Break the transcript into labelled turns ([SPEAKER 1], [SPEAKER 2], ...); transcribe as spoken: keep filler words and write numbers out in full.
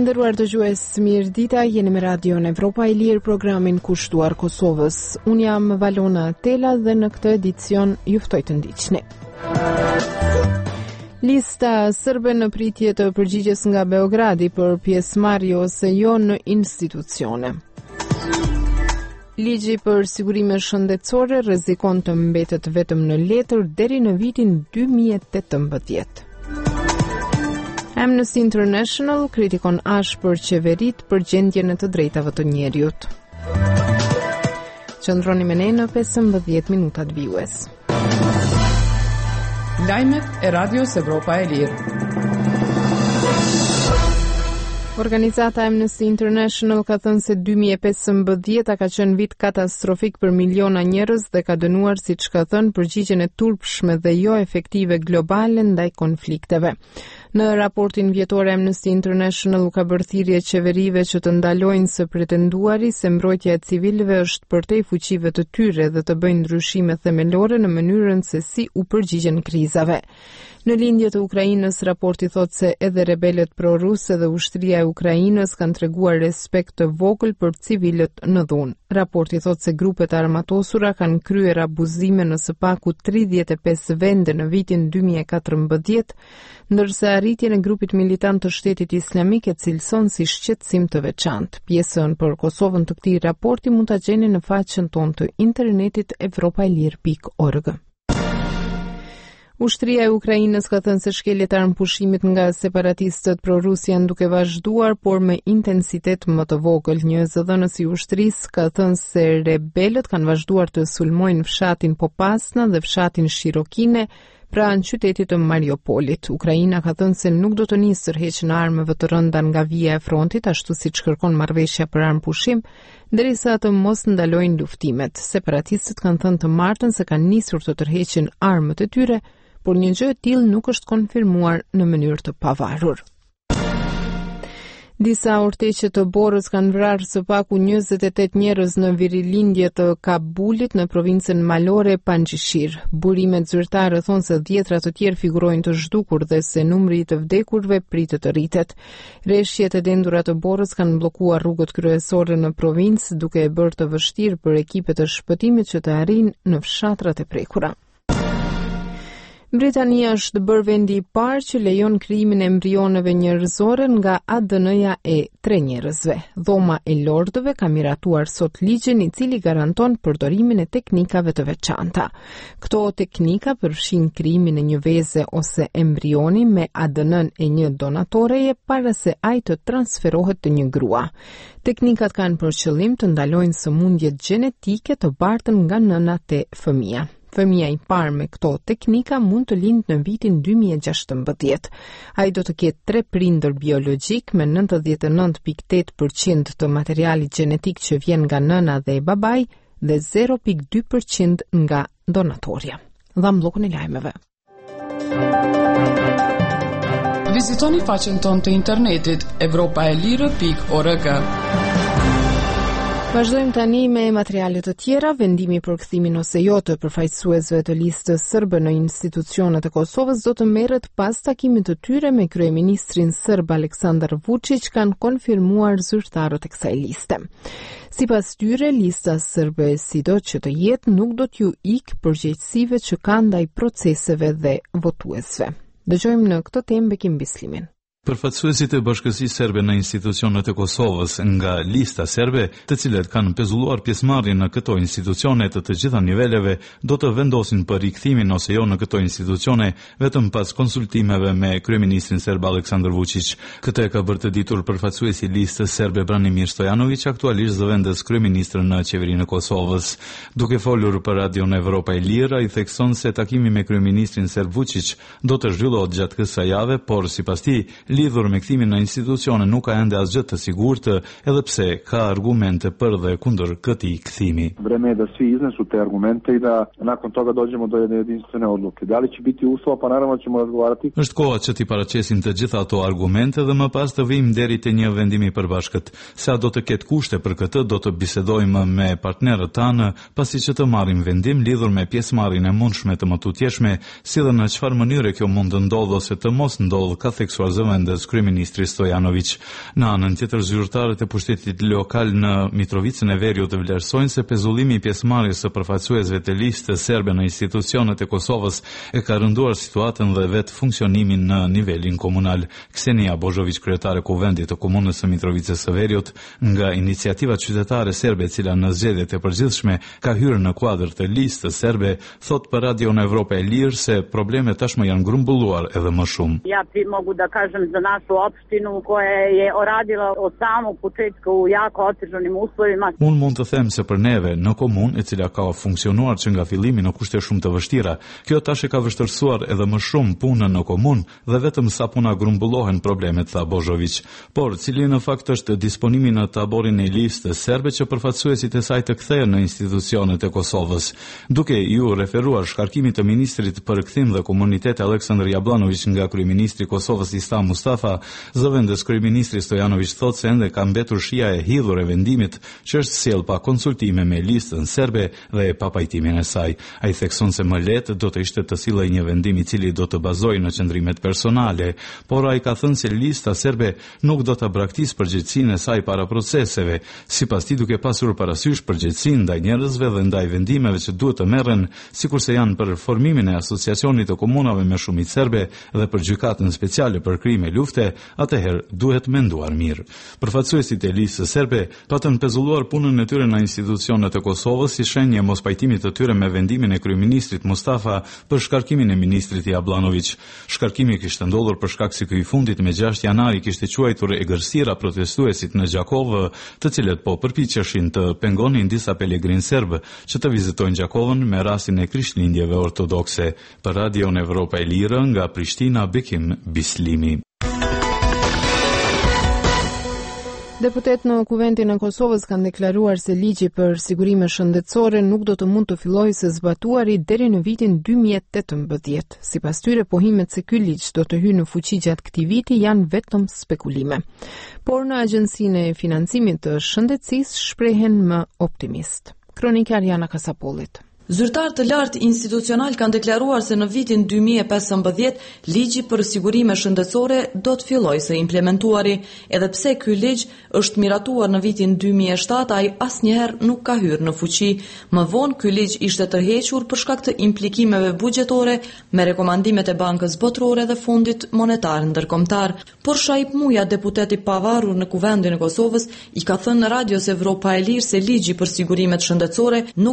[SPEAKER 1] Të nderuar dëgjues, mirë dita, jeni me Radion Evropa e Lirë, programin kushtuar Kosovës. Unë jam Valona Tela dhe në këtë edicion ju ftoj të ndiqni. Lista sërbe në pritje të përgjigjes nga Beogradi për pjesëmarrje ose jo në institucione. Ligji për sigurime shëndetësore rrezikon të mbetet vetëm në letër deri në vitin dy mijë e tetëmbëdhjetë. Amnesty International kritikon ashpër qeveritë për gjendjen e të drejtave të njeriut. Qëndroni me ne në pesëmbëdhjetë minutat vijues.
[SPEAKER 2] Lajmet e Radios Evropa e Lirë.
[SPEAKER 1] Organizata Amnesty International ka thënë se dy mijë e pesëmbëdhjeta ka qenë vit katastrofik për miliona njerëz dhe ka dënuar, siç ka thënë, përgjigjen e turpshme dhe jo efektive globale ndaj konflikteve. Në raportin vjetor Amnesty International u ka bërë thirrje qeverive që të ndalojnë së pretenduari se mbrojtja e civilëve është përtej fuqive të tyre dhe të bëjnë ndryshime themelore në mënyrën se si u përgjigjen krizave. Në lindje të Ukrainës, raporti thotë se edhe rebelët pro-rusë dhe ushtria e Ukrainës kanë treguar respekt të vogël për civilët në dhunë. Raporti thotë se grupet e armatosura kanë kryer abuzime në së paku tridhjetë e pesë vende në vitin dy mijë e katërmbëdhjetë, ndërsa arritjen e grupit militant të Shtetit Islamik e cilëson si shqetësim të veçantë. Pjesën për Kosovën të këtij raporti mund ta gjeni në faqen tonë të internetit evropa e lirë pikë org. Ushtria e Ukrainës ka thënë se shkeljet e armëpushimit nga separatistët pro-rusë janë duke vazhduar, por me intensitet më të vogël. Një zëdhënës i ushtrisë ka thënë se rebelët kanë vazhduar të sulmojnë fshatin Popasna dhe fshatin Shirokine pranë qytetit të Mariupolit. Ukraina ka thënë se nuk do të nisë tërheqjen e armëve të rënda nga vija e frontit, ashtu siç kërkon marrëveshja për armëpushim, derisa të mos ndalojnë luftimet. Separatistët kanë thënë të martën se kanë nisur të tërheqin armët e tyre, por një gjë e tillë nuk është konfirmuar në mënyrë të pavarur. Disa orteqe të borës kanë vrarë së paku njëzet e tetë njerëz në virilindje të Kabulit në provincën malore Panjshir. Burimet zyrtare thonë se dhjetra të tjerë figurojnë të zhdukur dhe se numri i të vdekurve pritet të rritet. Reshjet e dendura të borës kanë bllokuar rrugët kryesore në provincë, duke e bërë të vështirë për ekipet e shpëtimit që të arrijnë në fshatrat e prekura. Britania është bërë vendi i parë që lejon krijimin e embrioneve njerëzore nga A D N-ja e tre njerëzve. Dhoma e Lordëve ka miratuar sot ligjin i cili garanton përdorimin e teknikave të veçanta. Këto teknika përfshin krijimin e një veze ose embrioni me A D N-n e një donatoreje para se ai të transferohet te një grua. Teknikat kanë për qëllim të ndalojnë sëmundjet gjenetike të bartën nga nëna te fëmia. Fëmia i parë me këto teknika mund të lindë në vitin dy mijë e gjashtëmbëdhjetë. Ai do të ketë tre prindër biologjik me nëntëdhjetë e nëntë pikë tetë përqind të materialit gjenetik që vjen nga nëna dhe babai dhe zero pikë dy përqind nga donatorja. Dham bllokun e lajmeve.
[SPEAKER 2] Vizitoni faqen tonë të internetit evropa e lirë pikë org.
[SPEAKER 1] Vazhdojmë tani me materiale të tjera. Vendimi për kthimin ose jo të përfaqësuesve të listës sërbe në institucionet e Kosovës do të merret pas takimit të tyre me kryeministrin serb Aleksandar Vučić, kanë konfirmuar zyrtarët e kësaj liste. Sipas tyre, lista sërbe sido që të jetë nuk do t'ju ikë përgjegjësive që ka ndaj proceseve dhe votuesve. Dëgjojmë në këtë temë Bekim Bislimin.
[SPEAKER 3] Përfaqësuesit e Bashkësisë Serbe në institucionet e Kosovës nga lista serbe, të cilët kanë pezulluar pjesëmarrjen në këto institucione të të gjitha niveleve, do të vendosin për rikthimin ose jo në këto institucione vetëm pas konsultimeve me kryeministrin serb Aleksandar Vučić. Këtë e ka bërë të ditur përfaqësuesi i listës serbe Branimir Stojanović, aktualisht zëvendës kryeministër në qeverinë e Kosovës. Duke folur për Radion Evropa e Lirë, ai thekson se takimi me kryeministrin serb Vučić do të zhvillohet gjatë kësaj jave, por sipas tij, lidhur me kthimin në institucione nuk ka ende asgjë të sigurt, edhe pse ka argumente për dhe kundër këtij kthimi.
[SPEAKER 4] Vreme je da svi iznesu te argumente i da nakon toga dođemo do jedne jedinstvene odluke. Da li će biti uslova, pa naravno ćemo razgovarati.
[SPEAKER 3] Është koha që t'i paraqesim të gjitha ato argumente dhe më pas të vijmë deri te një vendim i përbashkët. Se a do të ketë kushte për këtë, do të bisedojmë me partnerët tanë, pasi që të marrim vendim lidhur me pjesëmarrjen e mundshme të mëtutjeshme, si dhe në çfarë mënyre kjo mund të ndodhë ose të mos ndodhë, ka theksuar zëvendës zëvendës kryeministri Stojanović. Në anën tjetër, zyrtarët e pushtetit lokal në Mitrovicën e Veriut vlerësojnë se pezullimi i pjesëmarrjes së përfaqësuesve të listës serbe në institucionet e Kosovës e ka rënduar situatën dhe vetë funksionimin në nivelin komunal. Ksenija Bozhović, kryetare e Kuvendit të Komunës së Mitrovicës së Veriut, nga iniciativa qytetare serbe e cila në zgjedhjet e përgjithshme ka hyrë në kuadër të listës serbe, thot për Radion Evropa e Lirë se problemet tashmë janë grumbulluar edhe më shumë.
[SPEAKER 5] Ja pri mogu da kažem za našu opštinu koja je radila od samog početka u jako otežanim uslovima.
[SPEAKER 3] Unë mund të them se për neve në komunë, e cila ka funksionuar që nga fillimi në kushte shumë të vështira, kjo tash e ka vështirësuar edhe më shumë punën në komunë dhe vetëm sa puna grumbullohen problemet, tha Bozhović. Por, cili në fakt është disponimi në taborin e listës serbe që përfaqësuesit e saj të kthehen në institucionet e Kosovës, duke iu referuar shkarkimit të ministrit për kthim dhe komunitet Aleksandr Jablanović nga kryeministri i Kosovës Isa Mustafa, zëvendës kryeministri Stojanović thotë se ende ka mbetur shija e hidhur e vendimit që është sjell pa konsultime me listën serbe dhe pa pajtimin e saj. Ai thekson se më lehtë do të ishte të sillej një vendim i cili do të bazojë në qëndrimet personale, por ai ka thënë se lista serbe nuk do ta braktisë përgjegjësinë e saj para proceseve, sipas tij duke pasur parasysh përgjegjësinë ndaj njerëzve dhe ndaj vendimeve që duhet të merren, sikurse janë për formimin e asociacionit të komunave me shumicë serbe dhe për gjykatën speciale për krime lufte, atëherë duhet menduar mirë. Përfaqësuesit e listës serbe patën pezulluar punën e tyre në institucionet e Kosovës si shenjë e mospajtimit të tyre me vendimin e kryeministrit Mustafa për shkarkimin e ministrit Jablanović. Shkarkimi kishte ndodhur për shkak se ky i fundit me gjashtë janar i kishte quajtur egërsira protestuesit në Gjakovë, të cilët po përpiqeshin të pengonin disa pelegrinë serbë që të vizitojnë Gjakovën me rastin e Krishtlindjeve ortodokse. Për Radion Evropa e Lirë nga Prishtina, Bekim Bislimi.
[SPEAKER 1] Deputet në Kuvendin e Kosovës kanë deklaruar se ligji për sigurime shëndetësore nuk do të mund të fillojë së zbatuari deri në vitin dy mijë e tetëmbëdhjetë. Sipas tyre, pohimet se ky ligj do të hyjë në fuqi gjatë këtij viti janë vetëm spekulime. Por në Agjencinë e Financimit të Shëndetësisë shprehen më optimist. Kronika Ariana Kasapollit.
[SPEAKER 6] Zyrtar të lartë institucional kanë deklaruar se në vitin dy mijë e pesëmbëdhjetë ligji për sigurime shëndetësore do të fillojë së implementuari, edhe pse ky ligj është miratuar në vitin dy mijë e shtatë, ai asnjëherë nuk ka hyrë në fuqi. Më vonë ky ligj ishte tërhequr për shkak të implikimeve buxhetore me rekomandimet e Bankës Botërore dhe Fondit Monetar Ndërkombëtar. Por Shaip Muja, deputet i pavarur në Kuvendin e Kosovës, i ka thënë Radios Evropa e Lirë se ligji për sigurimet shëndetësore nuk